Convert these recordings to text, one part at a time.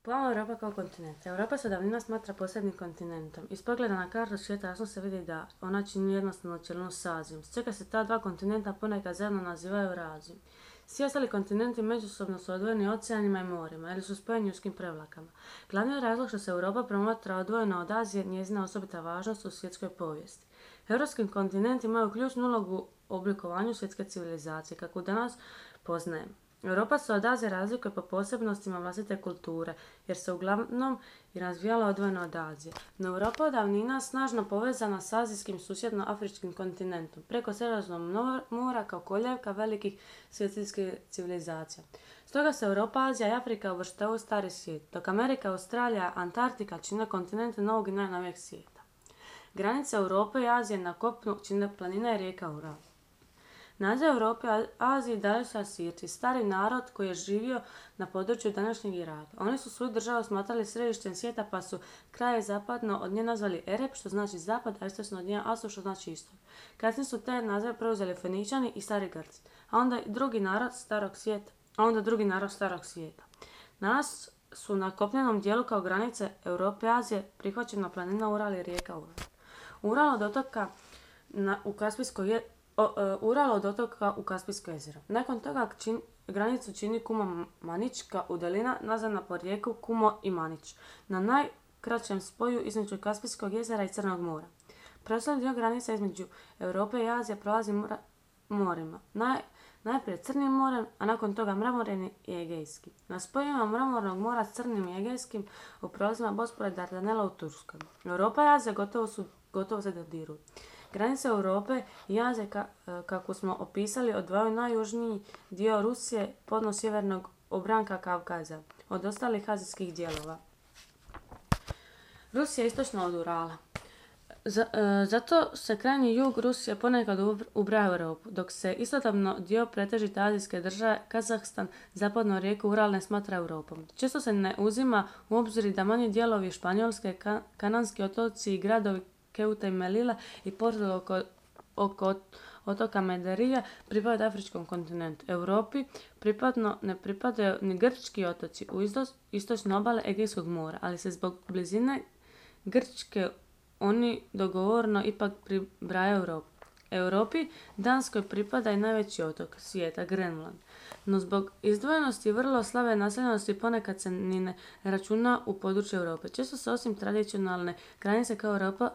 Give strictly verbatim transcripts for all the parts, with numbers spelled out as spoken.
Pojam Europa kao kontinent. Europa se davnina smatra posebnim kontinentom. Iz pogleda na kartu svijeta jasno se vidi da ona čini jednostavno cjelinu s Azijom, s čega se ta dva kontinenta ponekad zajedno nazivaju Eurazijom. Svi ostali kontinenti međusobno su odvojeni oceanima i morima ili su spojeni uskim prevlakama. Glavni razlog što se Europa promatra odvojena od Azije njezina osobita važnost u svjetskoj povijesti. Europski kontinenti imaju ključnu ulogu u oblikovanju svjetske civilizacije, kako danas poznajemo. Europa se od Azije razlikuje po posebnostima vlastite kulture, jer se uglavnom i razvijala odvojeno od Azije. No Europa od davnina snažno povezana s azijskim susjedno-afričkim kontinentom, preko Sredozemnog mora kao koljevka velikih svjetskih civilizacija. Stoga se Europa, Azija i Afrika uvrštavaju u stari svijet, dok Amerika, Australija, Antarktika čine kontinente novog i najnovijeg svijeta. Granice Europe i Azije na kopnu čine planina i rijeka Ural. Naziv Europe i Aziji dali su Asirci, stari narod koji je živio na području današnjeg Iraka. Oni su svoju državu smatrali središtem svijeta pa su kraje zapadno od nje nazvali Erep, što znači zapad, a istočno od nje Asur, što znači istok. Kasnije su te nazive preuzeli Feničani i stari Grci, a onda drugi narod starog svijeta, a onda drugi narod starog svijeta. Danas su na kopnenom dijelu kao granice Europe i Azije prihvaćena planina Ural i rijeka Ural. Ural od otoka na, u Kaspijskoj je O, uh, Ural od otoka u Kaspijsko jezero. Nakon toga čin, granicu čini Kumo-Manička udalina nazvana po rijeku Kumo i Manić, na najkraćem spoju između Kaspijskog jezera i Crnog mora. Preostali dio granice između Europe i Azije prolazi mora, morima. Naj, najprije Crnim morem, a nakon toga Mramoreni i Egejski. Na spojima Mramornog mora s Crnim i Egejskim u prolazima Bospora i Dardanela u Turskoj. Europa i Azija gotovo, su, gotovo se dodiruju. Granice Europe i Azije, ka, kako smo opisali, odvajaju najjužniji dio Rusije podno sjevernog obranka Kavkaza od ostalih azijskih dijelova. Rusija je istočno od Urala. Z, e, zato se krajnji jug Rusije ponekad ubraja u Europu, dok se istodobno dio pretežite azijske države, Kazahstan, zapadno rijeku Ural ne smatra Europom. Često se ne uzima u obzir da manji dijelovi Španjolske, ka, Kananski otoci i gradovi Keuta i Melila i Porto oko, oko otoka Mederija pripadaju afričkom kontinentu. Europi pripadno ne pripadaju ni grčki otoci u isto, istočne obale Egejskog mora, ali se zbog blizine Grčke oni dogovorno ipak pribrajaju Europu. Europi Danskoj pripada i najveći otok svijeta, Grenland. No zbog izdvojenosti i vrlo slabe naseljenosti ponekad se ni ne računa u području Europe. Često se osim tradicionalne granice kao Europa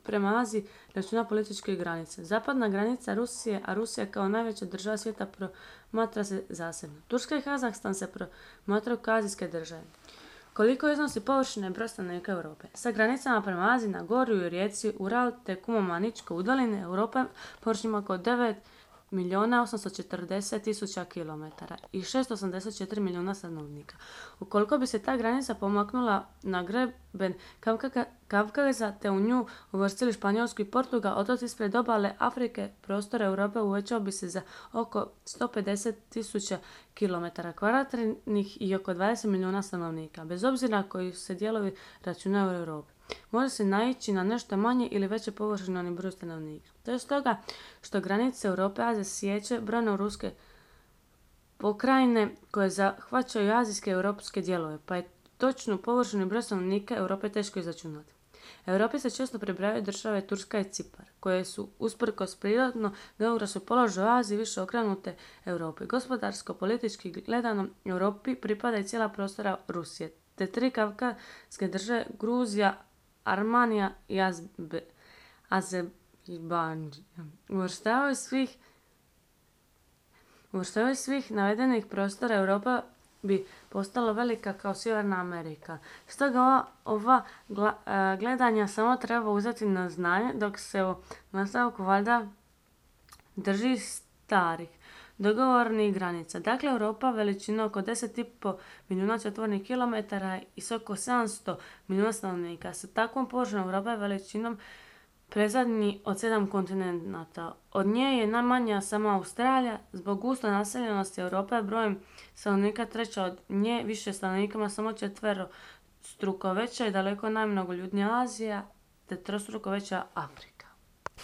prema Aziji računa političke granice. Zapadna granica Rusije, a Rusija kao najveća država svijeta promatra se zasebno. Turska i Kazahstan se promatraju kao azijske države. Koliko iznosi površine i broj stanovnika Europe? Sa granicama prema Aziji na Gorju i rijeci Ural te Kumo-Maničke udaline Europa površina oko devet milijuna osamsto četrdeset tisuća kilometara i šesto osamdeset četiri milijuna stanovnika. Ukoliko bi se ta granica pomaknula na greben Kavkaza te u nju uvrstili Španjolsku i Portugal, otoci ispred obale Afrike, prostor Europe uvećao bi se za oko sto pedeset tisuća kilometara kvadratnih i oko dvadeset milijuna stanovnika, bez obzira koji se dijelovi računaju u Europi. Može se naići na nešto manje ili veće površine ni broj stanovnika. To je stoga što granice Europe i Azije siječe brojne ruske pokrajine koje zahvaćaju azijske i europske dijelove, pa je točnu površinu i broj stanovnika Europe teško izračunati. Europi se često pribrajaju države Turska i Cipar, koje su usprkos prirodno geografskom položaju u Aziji više okrenute Europi. Gospodarsko, politički gledano, Europi pripada i cijela prostora Rusije, te tri kavkazske države Gruzija, Armanija i Azerbajdžan. Uvrštavaju svih uvrštavaju svih navedenih prostora Europa bi postala velika kao Sjeverna Amerika. Stoga ova, ova gla, gledanja samo treba uzeti na znanje, dok se u nastavku valjda drži starih dogovornih granica. Dakle, Europa veličina oko deset i pol milijuna četvornih kilometara i s oko sedamsto milijuna stanovnika. Sa takvom površinom Europa je veličinom predzadnji od sedam kontinenata. Od nje je najmanja sama Australija. Zbog gusto naseljenosti Europa je brojem stanovnika treća od nje, više stanovnikama samo četvero struko veća i daleko najmnogoljudnija Azija, te trostruko veća Afrika.